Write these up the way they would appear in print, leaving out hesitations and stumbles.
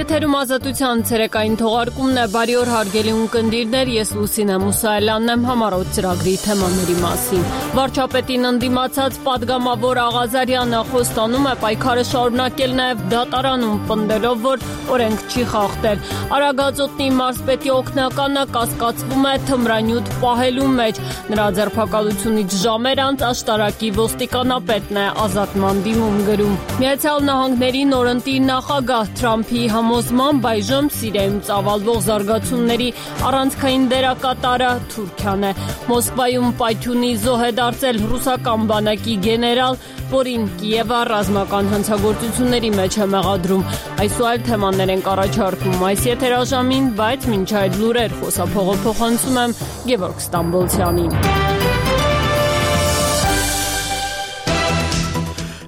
Եթերում ազատության ցերեկային թողարկումն է, բարի օր հարգելի ունկնդիրներ, ես Լուսինե Մուսայելյանն եմ, համառոտ ծրագրի թեմաների մասին։ Վարչապետին ընդդիմացած պատգամավոր Աղազարյանը խոստանում է պայքարը շարունակել նաև դատարանում, պնդելով, որ օրենք չի խախտել։ Արագածոտնի մարզպետի օգնականը կասկածվում է թմրանյութ պահելու մեջ։ Նրա ձերբակալությունից ժամեր անց աշտարակի ոստիկանապետն է ազատման դիմում գրում։ Միացյալ Նահանգների նորընտիր նախագահ Թրամփի համոզմամբ այժմ Սիրիայում ծավալվող զարգացումների առանցքային դերակատարը Թուրքիան է։ Մոսկվայում պայթյունի զոհ է դարձել ռուսական բանակի գեներալ, որին Կիևը ռազմական հանցագործությունների մեջ է մեղադրում։ Այս ու այլ թեմաներ ենք առաջարկում այս եթերաժամին, բայց մինչ այդ լուրեր խոսափողը փոխանցում եմ Գևորգ Ստամբոլցյանին։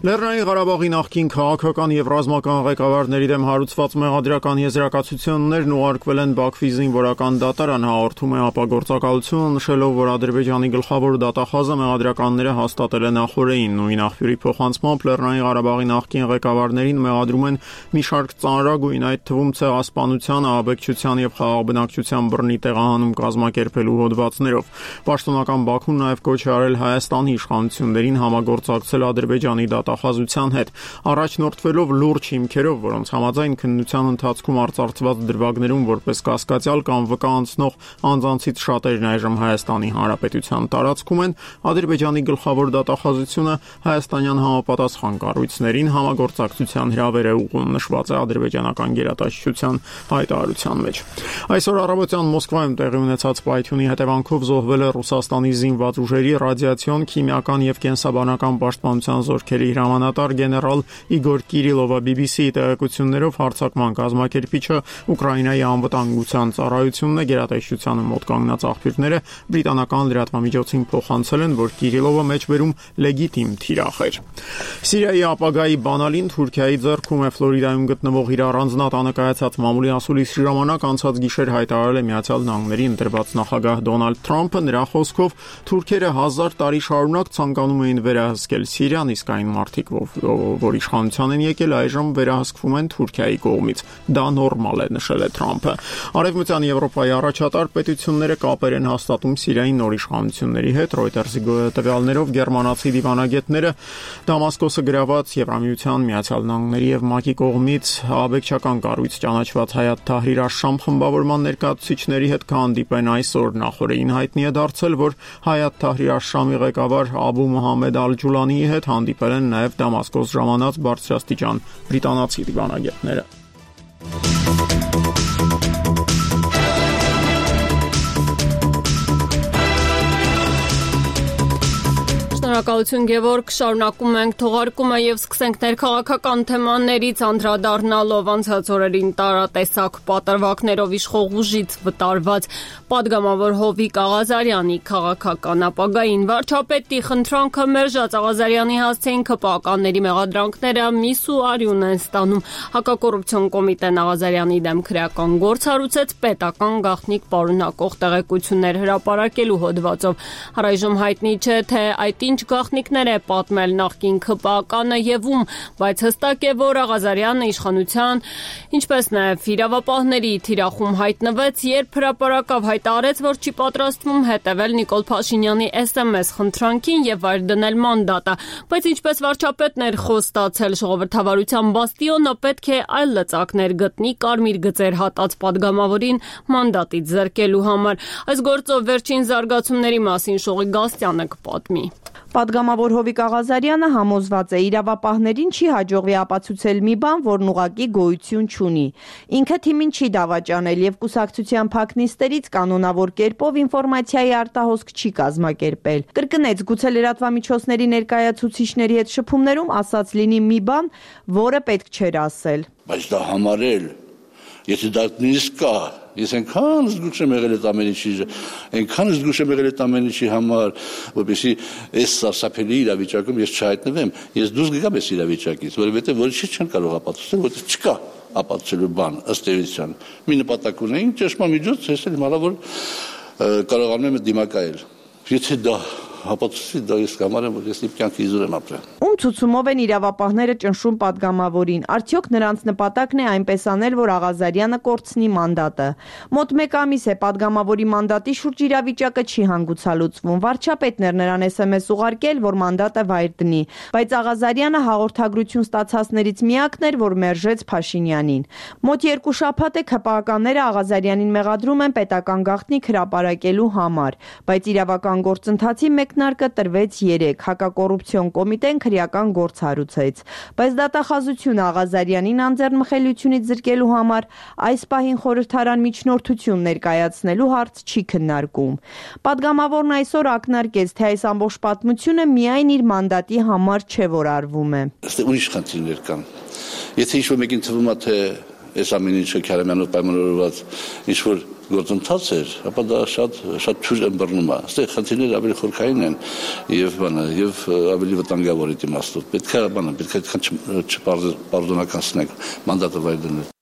Լեռնային Ղարաբաղի նախկին քաղաքական եւ ռազմական ղեկավարների դեմ հարուցված մեղադրական եզրակացություններն ուղարկվել են Բաքվի զինվորական դատարան, հաղորդում է ապագործակալությունը, նշելով, որ Ադրբեջանի գլխավոր դատախազը մեղադրականները հաստատել է նախօրեին։ Նույն աղբյուրի փոխանցմամբ Լեռնային Ղարաբաղի նախկին ղեկավարներին մեղադրում են մի շարք ծանրագույն, այդ թվում ցեղասպանության, ահաբեկչության եւ խաղաղբնակչության բռնի տեղահանում կազմակերպելու հոդվածներով։ Պաշտոնական Բաքուն նաեւ կոչ է արել Հայաստանի իշխանություններին համագործակցել Ադրբեջանի դատախազության հետ, առաջնորդվելով լուրջ հիմքերով, որոնց համաձայն քննության ընթացքում արծարծված դրվագներում որպես կասկածյալ կամ վկա անցնող անձանցից շատերն այժմ Հայաստանի Հանրապետության տարածքում են, Ադրբեջանի գլխավոր դատախազությունը հայաստանյան համապատասխան կառույցներին համագործակցության հրավեր է ուղղում, նշված է ադրբեջանական գերատեսչության հայտարարության մեջ։ Այսօր առավոտյան Մոսկվայում տեղի ունեցած պայթյունի հետևանքով զոհվել է Ռուսաստանի զինված ուժերի ռադիացիոն, քիմիական եւ կենսաբանական պաշտպանության զորքերի հրամանատար գեներալ Իգոր Կիրիլովը BBC-ի տեղեկություններով հարձակման կազմակերպիչը Ուկրաինայի անվտանգության ծառայությունն է, գերատեսչությանը մոտ կանգնած աղբյուրները բրիտանական լրատվամիջոցին փոխանցել են, որ Կիրիլովը մեջբերում լեգիտիմ թիրախ էր։ Սիրիայի ապագայի բանալին Թուրքիայի ձեռքում է Ֆլորիդայում գտնվող իր առանձնատանը կայացած մամուլի ասուլիսի ժամանակ անցած գիշեր հայտարարել է Միացյալ Նահանգների ընտրված նախագահ Դոնալդ Թրամփը, նրա խոսքով թուրքերը 1000 տարի շարունակ ցանկանում էին վերահսկել Սիրիան, իսկ այն մարդիկ, որ իշխանության են եկել, այժմ վերահսկվում են Թուրքիայի կողմից։ Դա նորմալ է, նշել է Թրամփը։ Արևմտյան Եվրոպայի առաջատար պետությունները կապեր են հաստատում Սիրիայի նոր իշխանությունների հետ։ Reuters-ի տվյալներով գերմանացի դիվանագետները Դամասկոսը գրաված Եվրամիության, Միացյալ Նահանգների եւ ՄԱԿ-ի կողմից աբեկչական կառույց ճանաչված Հայաթ Թահրիր Աշշամ խմբավորման ներկայացուցիչների հետ կհանդիպեն այսօր։ Նախորդին հայտնի է դարձել, որ Հայաթ Թահրիր Աշշամի ղեկավար Աբու Մոհամմեդ Ալ-Ջուլանիի հետ հանդիպել են նաև Դամասկոս ժամանած բարձրաստիճան բրիտանացի դիվանագետները։ Շնորհակալություն Գևորգ, շարունակում ենք թողարկումը եւ սկսենք ներքաղաքական թեմաներից, անդրադառնալով անցած օրերին տարատեսակ պատրվակներով իշխող ուժից վտարված պատգամավոր Հովիկ Աղազարյանի քաղաքական ապագային։ Վարչապետի խնդրանքը մերժած Աղազարյանի հասցեին ԿՊԱ-ականների մեղադրանքները միս ու արյուն են ստանում։ Հակակոռուպցիոն կոմիտեն Աղազարյանի դեմ քրեական գործ հարուցեց պետական գաղտնիք պարունակող տեղեկություններ հրապարակելու հոդվածով։ Առայժմ հայտնի չէ, թե այդ ինչ գաղտնիքներ է պատմել նախկին ԿՊԱ-ականը եւ ում, բայց հստակ է, որ Աղազարյանը իշխանության, ինչպես նաեւ իրավապահների թիրախում հայտնվեց, երբ հրապարակավ հայտարարեց, որ չի պատրաստվում հետևել Նիկոլ Փաշինյանի SMS խնդրանքին եւ վայր դնել մանդատը, բայց ինչպես վարչապետն էր խոստացել ժողովրդավարության բաստիոնը, պետք է այլ լծակներ գտնի կարմիր գծեր հատած պատգամավորին մանդատից զրկելու համար։ Այս գործով վերջին զարգացումների մասին Շողի Գաստյանը կպատմի։ Պատգամավոր Հովիկ Աղազարյանը համոզված է, իրավապահներին չի հաջողվի ապացուցել մի բան, որն ուղղակի գոյություն չունի։ Ինքը թիմին չի դավաճանել եւ կուսակցության փակնիստերից կանոնավոր կերպով ինֆորմացիայի արտահոսք չի կազմակերպել։ Կրկնեց, գուցե լրատվամիջոցների ներկայացուցիչների հետ շփումներում ասած լինի մի բան, որը պետք չէր ասել։ Բայց դա համարել, եթե դա նույնիսկ կա, ես այնքան զգուշ եմ եղել այդ ամեն ինչի համար, որպեսզի այս սարսափելի իրավիճակում ես չհայտնվեմ, ես դուրս գամ այս իրավիճակից, որովհետև որոշիչ չեն կարող ապացուցել, որովհետև չկա ապացուցելու բան ըստ էության։ Մի նպատակ ունեին, ճշմամիջոց, ես էլ հիմա որ կարողանում եմ դիմակայել։ Եթե դա ապացուցի, դա ես կամարեմ, որ ես իմ կյանքի իզուր եմ ապրել։ Ում ցուցումով են իրավապահները ճնշում падգամավորին։ Արդյոք նրանց նպատակն է այնպես անել, որ Աղազարյանը կորցնի մանդատը։ Մոտ 1 ամիս է падգամավորի մանդատի շուրջ իրավիճակը չի հանգուցալուծվում։ Վարչապետն էր նրան SMS ուղարկել, որ մանդատը վայր դնի, բայց Աղազարյանը հաղորդագրություն ստացածներից միակն էր, որ մերժեց Փաշինյանին։ Մոտ 2 շաբաթ է ՔՊԱ-ականները Աղազարյանին մեղադրում են պետական գաղտնիք հրապարակելու համար, բայց իրավական գործընթացի մեկնարկը տրվեց 3, հակակոռուպցիոն կոմիտեն քրեական գործ հարուցեց, բայց դատախազությունը Աղազարյանին անձեռնմխելիությունից զրկելու համար այս պահին խորհրդարան միջնորդություն ներկայացնելու հարց չի քննարկում։ Պատգամավորն այսօր ակնարկեց, թե այս ամբողջ պատմությունը միայն իր մանդատի համար չէ, որ արվում է։ Այստեղ ուրիշ խնդիրներ կան։ Եթե ինչ-որ մեկին թվում է, թե այս ամեն ինչը Քարամյանով պայմանավորված ինչ-որ գործընթաց էր, ապա դա շատ թույլ ըմբռնում է։ Այստեղ խնդիրները ավելի խորքային են եւ ավելի վտանգավոր իմաստով։ Պետք է չպարզոնականացնել մանդատը վայր դնել։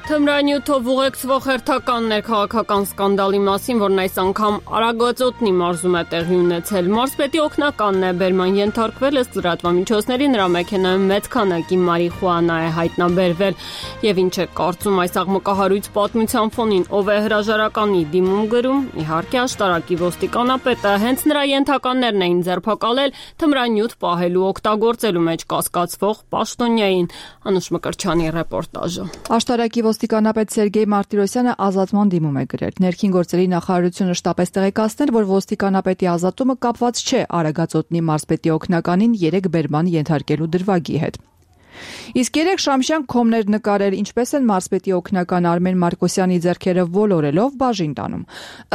Թմրանյութով ուղեկցվող հերթականներ քաղաքական սկանդալի մասին, որն այս անգամ Արագածոտնի մարզում է տեղի ունեցել։ Մարզպետի օգնականն է բերման ենթարկվել, ըստ լրատվամիջոցների նրա մեքենայում մեծ քանակի մարիխուանա է հայտնաբերվել։ Եվ ինչ է կարծում այս աղմկահարույց պատմության ֆոնին, ով է հրաժարականի դիմում գրում, իհարկե աշտարակի ոստիկանապետը, հենց նրա ենթականներն էին ձերբակալել թմրանյութ պահելու օգտագործելու մեջ կասկածվող պաշտոնյային։ Անուշ Մկրտչյանի ռեպորտաժը։ Աշտարակի ոստիկանապետ Սերգեյ Մարտիրոսյանը ազատման դիմում է գրել։ Ներքին գործերի նախարարությունը շտապեց տեղեկացնել, որ ոստիկանապետի ազատումը կապված չէ Արագածոտնի մարզպետի օգնականին 3 բերման ենթարկելու դրվագի հետ։ Իսկ 3 շամշյան քոմներ նկարել, ինչպես են մարզպետի օգնական Արմեն Մարկոսյանի ձեռքերը ոլորելով բաժին տանում։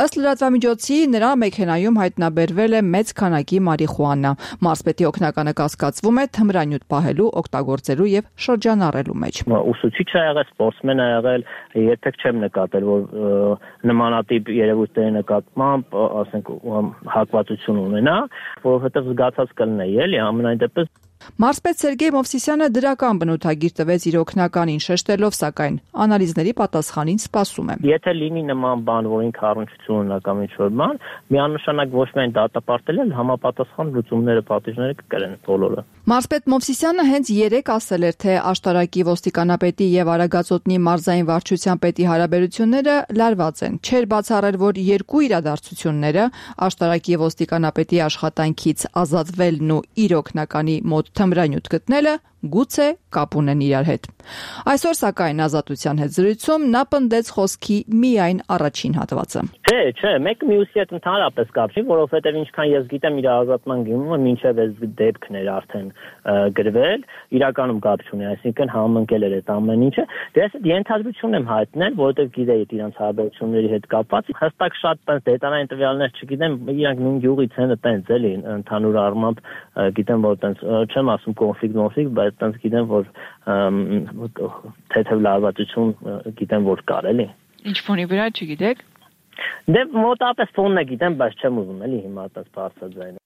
Ըստ լրատվամիջոցի նրա մեքենայում հայտնաբերվել է մեծ քանակի մարիխուանա։ Մարզպետի օգնականը կասկածվում է թմրանյութ պահելու, օգտագործելու եւ շրջանառելու մեջ։ Ուսուցիչ է եղել, սպորտսմեն է եղել, երբեք չեմ նկատել, որ նմանատիպ երևույթների նկատմամբ, ասենք, հակվածություն ունենա, որովհետեւ զգացած կլինի, էլի, ամենայն դեպս Մարզպետ Սերգեյ Մովսիսյանը դրական բնութագիր տվեց իր օգնականին, շեշտելով սակայն անալիզների պատասխանին սպասում է։ Եթե լինի նման բան, որ ինքը առնչություն ունի կամ ինչ-որ բան, միանշանակ ոչ միայն դատապարտել են, համապատասխան լուծումները, պատիժները կկրեն բոլորը։ Մարզպետ Մովսիսյանը հենց 3 ասել էր, թե աշտարակի ոստիկանապետի եւ Արագածոտնի մարզային վարչության պետի հարաբերությունները լարված են։ Չէր բացառել, որ 2 իրադարձությունները աշտարակի ոստիկանապետի աշխատանքից ազատվելն ու իր օգնականի մոտ թմրանյութ գտնելը գուցե կապ ունեն իրար հետ։ Այսօր սակայն ազատության հետ զրույցում նա պնդեց խոսքի միայն առաջին հատվածը։ Չէ, մեկը մյուսի հետ ընդհանրապես կապ չի, որովհետև ինչքան ես գիտեմ իր ազատման գինումը մինչև այս դեպքն էր արդեն գրվել, իրականում կապ չունի, այսինքն համընկել էր այդ ամեն ինչը։ Դե ես ենթադրություն եմ հայտնել, որովհետև գիտեի իրանց հարաբերությունների հետ կապված, հստակ շատ դետալային տվյալներ չգիտեմ, իրանք նույն գյուղից են, տենց էլի ընդհանուր առմամբ գիտեմ, որ տենց չեմ ասում կոնֆլիկտ, բայց տենց գիտեմ, որ թեթև լարվածություն գիտեմ, որ կար էլի։ Ինչ ֆոնի վրա չգիտեք։ Դե մոտապես ֆոնն է գիտեմ, բայց չեմ ուզում էլի հիմա տես բարձրաձայն։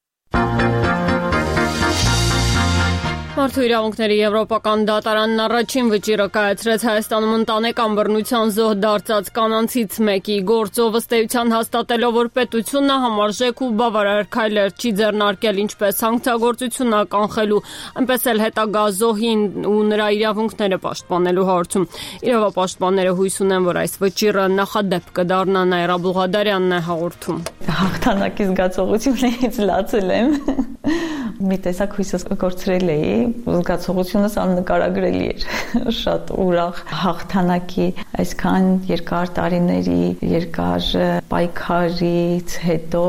Մարդու իրավունքների եվրոպական դատարանն առաջին վճիռը կայացրեց Հայաստանում ընտանեկան բռնության զոհ դարձած կանանցից մեկի գործով, ըստ էության հաստատելով, որ պետությունը համարժեք ու բավարար քայլեր չի ձեռնարկել ինչպես սանկցիագործությունը կանխելու, այնպես էլ հետագա զոհին ու նրա իրավունքները պաշտպանելու հարցում։ Իրավապաշտպանները հույս ունեն, որ այս վճիռը նախադեպ կդառնա, Նաիրա Բուղադարյանն է հաղորդում։ Հաղթանակի զգացողություններից լացել եմ։ Մի տեսակ հույսս կորցրել էի, զգացողությունս աննկարագրելի էր, շատ ուրախ հաղթանակի այսքան երկար տարիների երկար պայքարից հետո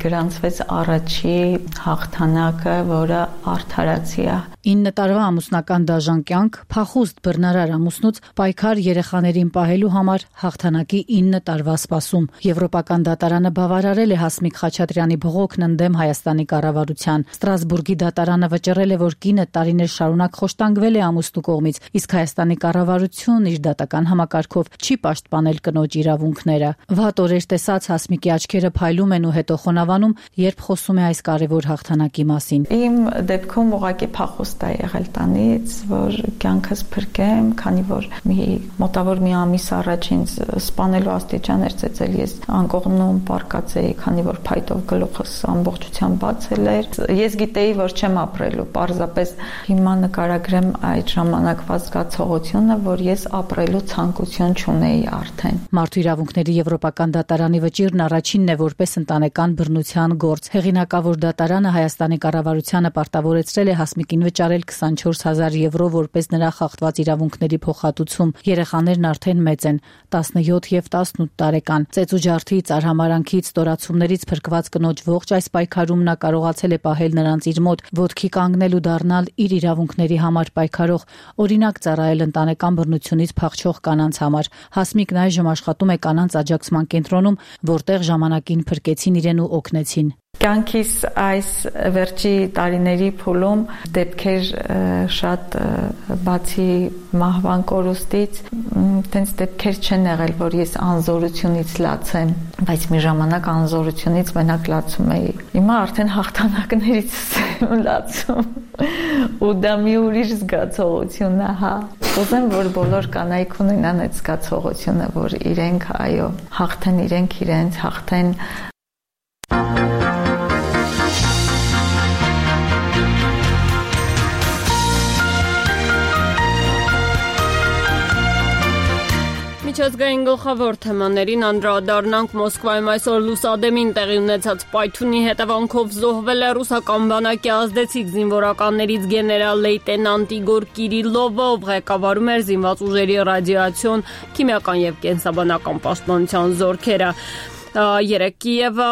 գրանցվեց առաջի հաղթանակը, որը արդարացի է։ 9 տարվա ամուսնական դաժան կյանք, փախուստ բռնարար ամուսնուց պայքար երեխաներին պահելու համար հաղթանակի 9 տարվա սպասում։ Եվրոպական դատարանը բավարարել է Հասմիկ Խաչատրյանի բողոքն ընդդեմ Հայաստանի կառավարության։ Ստրասբուրգի դատարանը վճռել է, որ կինը տարիներ շարունակ խոշտանգվել է ամուսնու կողմից, իսկ Հայաստանի կառավարությունն իր դատական համակարգով չի պաշտպանել կնոջ իրավունքները։ Վատ օրեր տեսա ասած, Հասմիկի աչքերը փայլում են ու հետո խոնավանում, երբ խոսում է այս կարևոր հաղթանակի մասին։ Իմ դեպքում ուղղակի փախուստ է եղել տանից, որ կյանքս փրկեմ, քանի որ մոտավոր մի ամիս առաջ ինձ սպանելու աստիճան էր ծեծել, ես անկողնում պարկած էի, քանի որ փայտով գլուխս ամբողջությամբ բացել էր։ Ես գիտեի, որ չեմ ապրելու, պարզապես հիմա նկարագրեմ այդ ժամանակվա զգացողությունը, որ ես ապրելու ցանկություն չունեի արդեն։ Մարդու իրավունքների Եվրոպական դատարանի վճիռն առաջինն է որպես ընտանեկան բռնության գործ։ Հեղինակավոր դատարանը Հայաստանի կառավարությանը պարտավորեցրել է Հասմիկին վճարել 24,000 եվրո որպես նրա խախտված իրավունքների փոխհատուցում։ Երեխաներն արդեն մեծ են՝ 17 եւ 18 տարեկան։ Ծեծուջարդից, արհամարանքից, ստորացումներից փրկված կնոջ ողջ այս պայքարում նա կարողացել է պահել նրանց իր մոտ, ոտքի կանգնել ու դառնալ իր իրավունքների համար պայքարող, օրինակ ծառայել ընտանեկան բռնությունից փախչող կանանց համար։ Հասմիկն այժմ աշխատում է կանանց աջակցման կենտրոնում, որտեղ ժամանակին փրկեցին իրեն ու օգնեցին։ Կյանքիս այս վերջի տարիների փուլում դեպքեր շատ բացի մահվան կորուստից, տենց դեպքեր չեն եղել, որ ես անզորությունից լացեմ, բայց մի ժամանակ անզորությունից մենակ լացում էի։ Հիմա արդեն հաղթանակներից եմ լացում։ Ու դա մի ուրիշ զգացողություն է, հա։ Ուզեմ, որ բոլոր կանայք ունենան այդ զգացողությունը, որ իրենք, այո, հաղթեն իրենք իրենց, հաղթեն Միջազգային գլխավոր թեմաներին անդրադառնանք Մոսկվայում այսօր լուսադեմին տեղի ունեցած պայթյունի հետևանքով զոհվել է ռուսական բանակի ազդեցիկ զինվորականներից գեներալ լեյտենանտ Իգոր Կիրիլովը, ով ղեկավարում էր զինված ուժերի ռադիացիոն, քիմիական եւ կենսաբանական պաշտպանության զորքերը։ Երեք Կիևը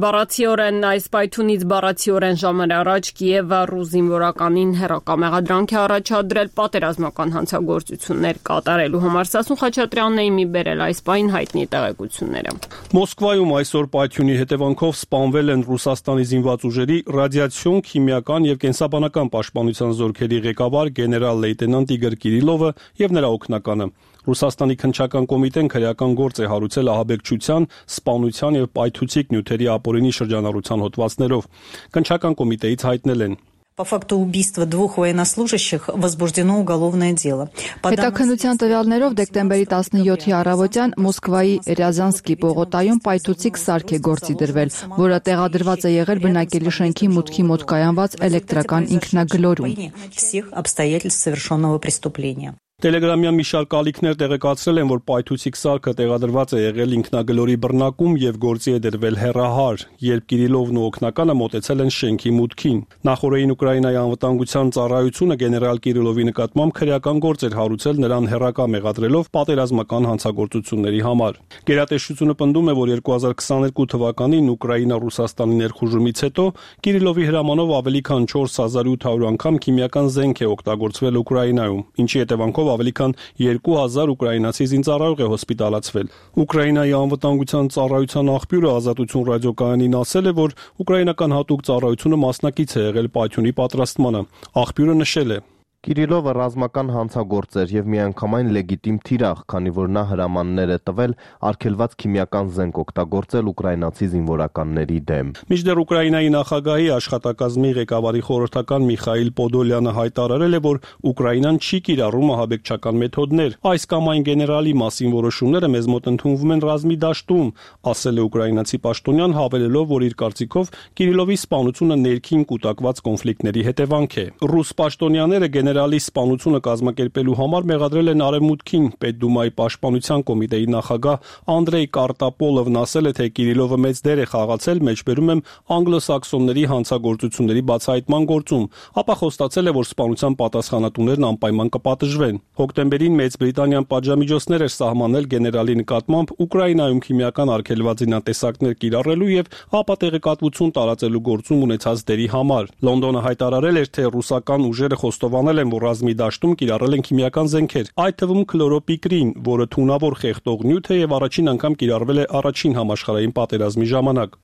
բառացիորեն այս պայթյունից բառացիորեն ժամեր առաջ Կիևը ռուս զինվորականին հերակամեղադրանք է առաջադրել պատերազմական հանցագործություններ կատարելու համար։ Սասուն Խաչատրյանն է մի բերել այս պայն հայտնի տեղեկությունները։ Մոսկվայում այսօր պայթյունի հետևանքով սպանվել են Ռուսաստանի զինված ուժերի ռադիացիոն, քիմիական եւ կենսաբանական պաշտպանության զորքերի ղեկավար գեներալ լեյտենանտ Իգոր Կիրիլովը եւ նրա օգնականը։ Ռուսաստանի քննչական կոմիտեն քրեական գործ է հարուցել ահաբեկչության, սպանության եւ պայթուցիկ նյութերի ապօրինի շրջանառության հոդվածներով։ Քննչական կոմիտեից հայտնել են. По факту убийства двух военнослужащих возбуждено уголовное дело. Հետաքննության տվյալներով դեկտեմբերի 17-ի առավոտյան Մոսկվայի Ռязանսկի պողոտայում պայթուցիկ սարք է գործի դրվել, որը տեղադրված է եղել բնակելի շենքի մուտքի մոտ կայանված էլեկտրական ինքնագլորում։ Всех обстоятельств совершенного преступления. Տելեգրամյան մի շարք ալիքներ տեղեկացրել են, որ պայթուցիկ սարքը տեղադրված է եղել ինքնագլորի բռնակում եւ գործի է դրվել հեռահար, երբ Կիրիլովն ու օգնականը մոտեցել են շենքի մուտքին։ Նախորդին Ուկրաինայի անվտանգության ծառայությունը գեներալ Կիրիլովի նկատմամբ քրեական գործ էր հարուցել նրան հեռակա մեղադրելով պատերազմական հանցագործությունների համար։ Գերատեսչությունը պնդում է, որ 2022 թվականին Ուկրաինա-Ռուսաստանի ներխուժումից հետո Կիրիլովի հրամանով ավելի քան 4800 անգամ քիմիական զենք է օգտագործվել Ուկրաինայում, ինչի հետևանքով ավելի քան 2000 ուկրաինացի զինծառայող է հոսպիտալացվել։ Ուկրաինայի անվտանգության ծառայության աղբյուրը Ազատություն ռադիոկայանին ասել է, որ ուկրաինական հատուկ ծառայությունը մասնակից է եղել պայթյունի պատրաստմանը։ Աղբյուրը նշել է. Կիրիլովը ռազմական հանցագործ էր եւ միանգամայն լեգիտիմ թիրախ, քանի որ նա հրամաններ է տվել արգելված քիմիական զենք օգտագործել ուկրաինացի զինվորականների դեմ։ Մինչդեռ Ուկրաինայի նախագահի աշխատակազմի ղեկավարի խորհրդական Միխայիլ Պոդոլյանը հայտարարել է, որ Ուկրաինան չի կիրառում ահաբեկչական մեթոդներ։ Այս կամ այն գեներալի մասին որոշումները մեզ մոտ ընդունվում են ռազմի դաշտում, ասել է ուկրաինացի պաշտոնյան, հավելելով, որ իր կարծիքով Կիրիլովի սպանությունը ներքին կուտակված կոնֆլիկտների հետևանք է։ Ռուս պաշտոնյաները գեներալի սպանությունը կազմակերպելու համար մեղադրել են Արևմուտքին։ Պետդումայի պաշտպանության կոմիտեի նախագահ Անդրեյ Կարտապոլովն ասել է, թե Կիրիլովը մեծ դեր է խաղացել, մեջբերում եմ անգլոսաքսոնների հանցագործությունների բացահայտման գործում, ապա խոստացել է, որ սպանության պատասխանատուներն անպայման կպատժվեն։ Հոկտեմբերին Մեծ Բրիտանիան պատժամիջոցներ էր սահմանել գեներալի նկատմամբ Ուկրաինայում քիմիական արգելված զինատեսակներ կիրառելու եւ ապատեղեկատվություն տարածելու գործում ունեցած դերի համար։ Լոնդոնը հայտարարել էր, թե ռուսական ուժերը խոստովանել են, որ ռազմի դաշտում կիրառել են քիմիական զենքեր, այդ թվում քլորոպիկրին, որը թունավոր խեղդող նյութ է եւ առաջին անգամ կիրառվել է առաջին համաշխարհային պատերազմի ժամանակ։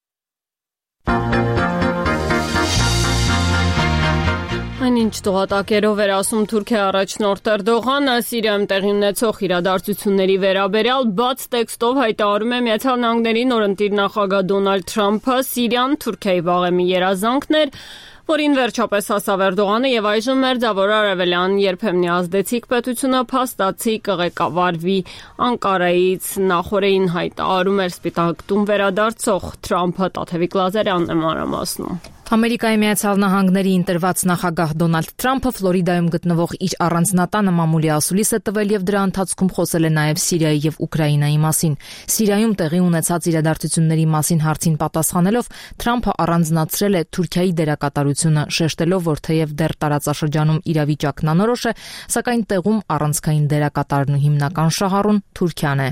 Այնինչ տղատակերով էր ասում Թուրքիա առաջնորդ Էրդողանը Սիրիայում տեղի ունեցող իրադարձությունների վերաբերյալ բաց տեքստով հայտարարում է Միացյալ Նահանգների նորընտիր նախագահ Դոնալդ Թրամփը Սիրիան Թուրքիայի վաղեմի երազանքն էր, որին վերջապես հասավ Էրդողանը եւ այժմ մերձավոր արևելյան երբեմնի ազդեցիկ պետությունը փաստացի կղեկավարվի Անկարայից նախորդին հայտարարում էր Սպիտակ տուն վերադարձող Թրամփը Տաթևիկ Լազարյանն է մանրամասնում։ Ամերիկայի Միացյալ Նահանգների ընտրված նախագահ Դոնալդ Թրամփը Ֆլորիդայում գտնվող իր առանձնատանը մամուլի ասուլիս է տվել եւ դրա ընթացքում խոսել է նաեւ Սիրիայի եւ Ուկրաինայի մասին։ Սիրիայում տեղի ունեցած իրադարձությունների մասին հարցին պատասխանելով Թրամփը առանձնացրել է Թուրքիայի դերակատարությունը, շեշտելով, որ թեև դեռ տարածաշրջանում իրավիճակն անորոշ է, սակայն տեղում առանցքային դերակատարն ու հիմնական շահառուն Թուրքիան է։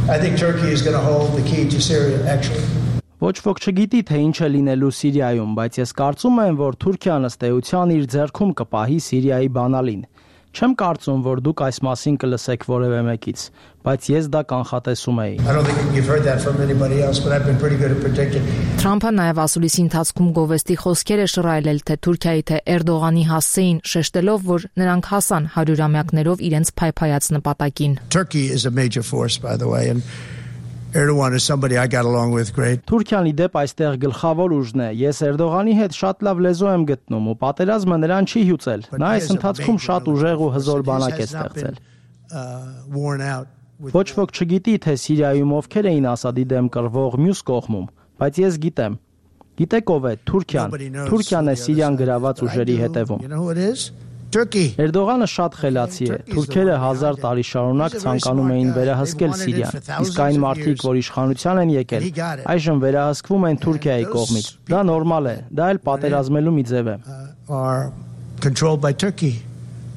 I think Turkey is going to hold the key to Syria actually. Ոչ ոք չգիտի թե ինչ է լինելու Սիրիայում, բայց ես կարծում եմ, որ Թուրքիան ըստ էության իր ձեռքում կպահի Սիրիայի բանալին։ Չեմ կարծում, որ դուք այս մասին կլսեք որևէ մեկից, բայց ես դա կանխատեսում էի։ Թրամփը նաև ասուլիսի ընթացքում գովեստի խոսքեր է շռայլել թե Թուրքիայի թե Էրդողանի հասցեին, շեշտելով, որ նրանք հասան 100-ամյակներով իրենց փայփայած նպատակին։ Turkey is a major force by the way and Erdogan is somebody I got along with great. Թուրքիան իդեպ այստեղ գլխավոր ուժն է։ Ես Էրդողանի հետ շատ լավ լեզու եմ գտնում ու պատերազմը նրան չի հյուծել։ Նա այս ընթացքում շատ ուժեղ ու հզոր բանակ է ստեղծել։ Ոչ ոք չգիտի թե Սիրիայում ովքեր էին Ասադի դեմ կռվող մյուս կողմում, բայց ես գիտեմ։ Գիտեք ով է Թուրքիան։ Թուրքիան է Սիրիան գրաված ուժերի հետևում։ Էրդողանը շատ խելացի է։ Թուրքերը 1000 տարի շարունակ ցանկանում էին վերահսկել Սիրիան, իսկ այն մարդիկ, որ իշխանության են եկել, այժմ վերահսկվում են Թուրքիայի կողմից։ Դա նորմալ է, դա էլ պատերազմելու մի ձև է։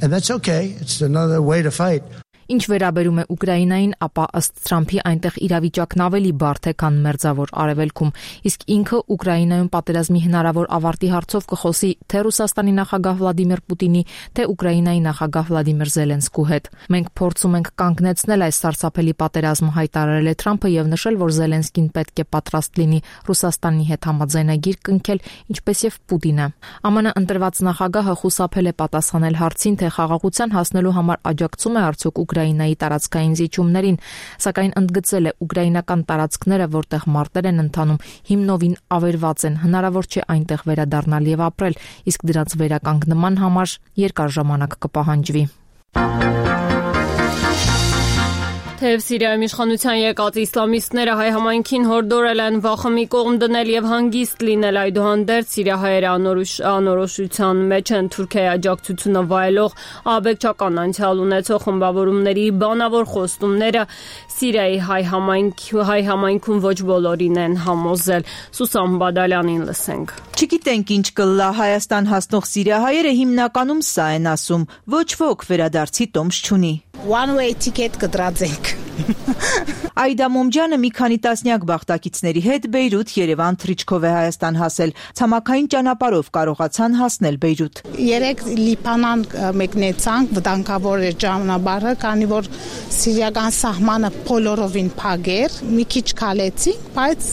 And that's okay. It's another way to fight. Ինչ վերաբերում է Ուկրաինային, ապա ըստ Թրամփի այնտեղ իրավիճակն ավելի բարդ է, քան մերձավոր արևելքում, իսկ ինքը Ուկրաինայում պատերազմի հնարավոր ավարտի հարցով կխոսի թե Ռուսաստանի նախագահ Վլադիմիր Պուտինի, թե Ուկրաինայի նախագահ Վլադիմիր Զելենսկու հետ։ Մենք փորձում ենք կանգնեցնել այս սարսափելի պատերազմը, հայտարարել է Թրամփը եւ նշել, որ Զելենսկին պետք է պատրաստ լինի Ռուսաստանի հետ համաձայնագիր կնքել, ինչպես եւ Պուտինը։ ԱՄՆ ընտրված նախագահը խուսափել է պատասխանել հարցին, թե խաղաղության հասնելու համար աջակցում է արդյոք Ուկրաինայի տարածքային զիջումներին, սակայն ընդգծել է ուկրաինական տարածքները, որտեղ մարտեր են ընթանում, հիմնովին ավերված են, հնարավոր չէ այնտեղ վերադառնալ եւ ապրել, իսկ դրանց վերականգնման համար երկար ժամանակ կպահանջվի։ Թեև Սիրիայում իշխանության եկած իսլամիստները հայ համայնքին հորդորել են վախը մի կողմ դնել եւ հանգիստ լինել, այդուհանդերձ սիրիահայերը անորոշության մեջ են Թուրքիայի աջակցությունը վայելող աբեկչական անցյալ ունեցող խմբավորումների բանավոր խոստումները Սիրիայի հայ համայնքում ոչ բոլորին են համոզել։ Սուսան Բադալյանին լսենք։ Չգիտենք ինչ կլա Հայաստան հասնող սիրիահայերը հիմնականում սա են ասում. ոչ ոք վերադարձի տոմս չունի։ One way ticket կտրածենք։ Այդա Մոմջյանը մի քանի տասնյակ բախտակիցների հետ Բեյրութ, Երևան, Թրիչկով է Հայաստան հասել։ Ցամաքային ճանապարհով կարողացան հասնել Բեյրութ։ Երեք Լիբանան մեկնեցանք, վտանգավոր էր ճանապարհը, քանի որ սիրիական սահմանը բոլորովին փակ էր, մի քիչ քալեցինք, բայց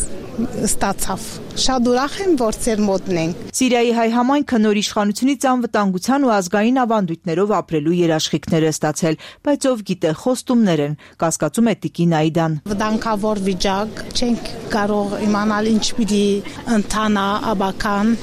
ստացավ։ Շատ ուրախ եմ, որ ծեր մոտն ենք։ Սիրիայի հայ համայնքը նոր իշխանությունից անվտանգության ու ազգային ավանդույթներով ապրելու երաշխիքներ է ստացել, բայց ով գիտե խոստումներ են, կասկածում է Տիկին Այդան։ Վտանգավոր վիճակ, չենք կարող իմանալ ինչ պիտի ընթանա աբական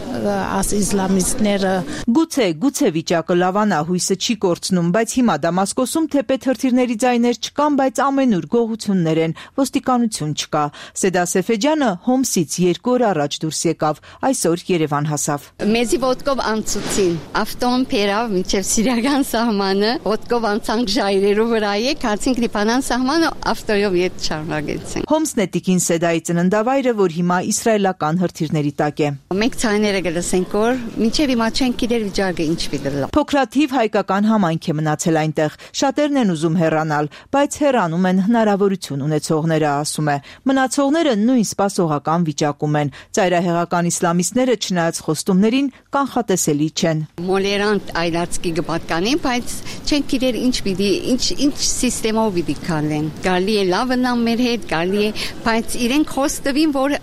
աս իսլամիստները։ Գուցե վիճակը լավանա, հույսը չի կորցնում, բայց հիմա Դամասկոսում թեպետ հրթիռների ձայներ չկան, բայց ամենուր գողություններ են, ոստիկանություն չկա։ Սեդա Սեֆեջյանը Հոմսից 2 օր առաջ դուրս եկավ, այսօր Երևան հասավ։ Մեզի ոտքով անցուցին, ավտոն փերավ մինչև սիրիական սահմանը, ոտքով անցանք ժայռերով վրայեք, հացինք Լիբանան սահմանը, ավտոյով ետ շարունակեցինք։ Հոմսն է Տիկին Սեդայի ծննդավայրը, որ հիմա իսրայելական հրթիռների տակ է։ Մենք ցայները գլսենք, որ մինչև հիմա չենք գիտեր վիճակը ինչ պիտի լա։ Փոքրաթիվ հայկական համայնք է մնացել այնտեղ, շատերն են ուզում հեռանալ, բայց հեռանում են հնարավորություն ունեցողները, ասում է։ Մնացողները նույն սպասողական վիճակում են, Ծայրահեղական իսլամիստները չնայած խոստումներին կանխատեսելի չեն։ Մոլերանտ այլացքի գպատկանին, բայց չենք իրեր ինչ սիստեմով պիտի քալեն։ Գալի է լավնամ մեր հետ, գալի է, բայց իրենք խոստովին, որ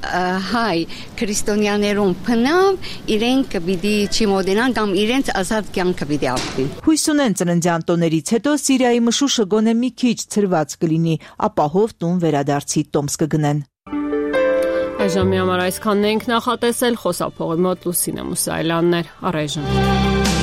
հայ քրիստոնյաներուն փնավ, իրենք պիտի չմոդենան կամ իրենց ազատ կյանքը պիտի ապրեն։ Հույս ունեն ծննդյան տոներից հետո Սիրիայի մշուշը գոնե մի քիչ ցրված կլինի, ապահով տուն վերադարձի տոմս կգնեն։ Այժմի համար այսքանն ենք նախատեսել, խոսափողի մոտ Լուսինե Մուսայելյանն էր, առայժմ։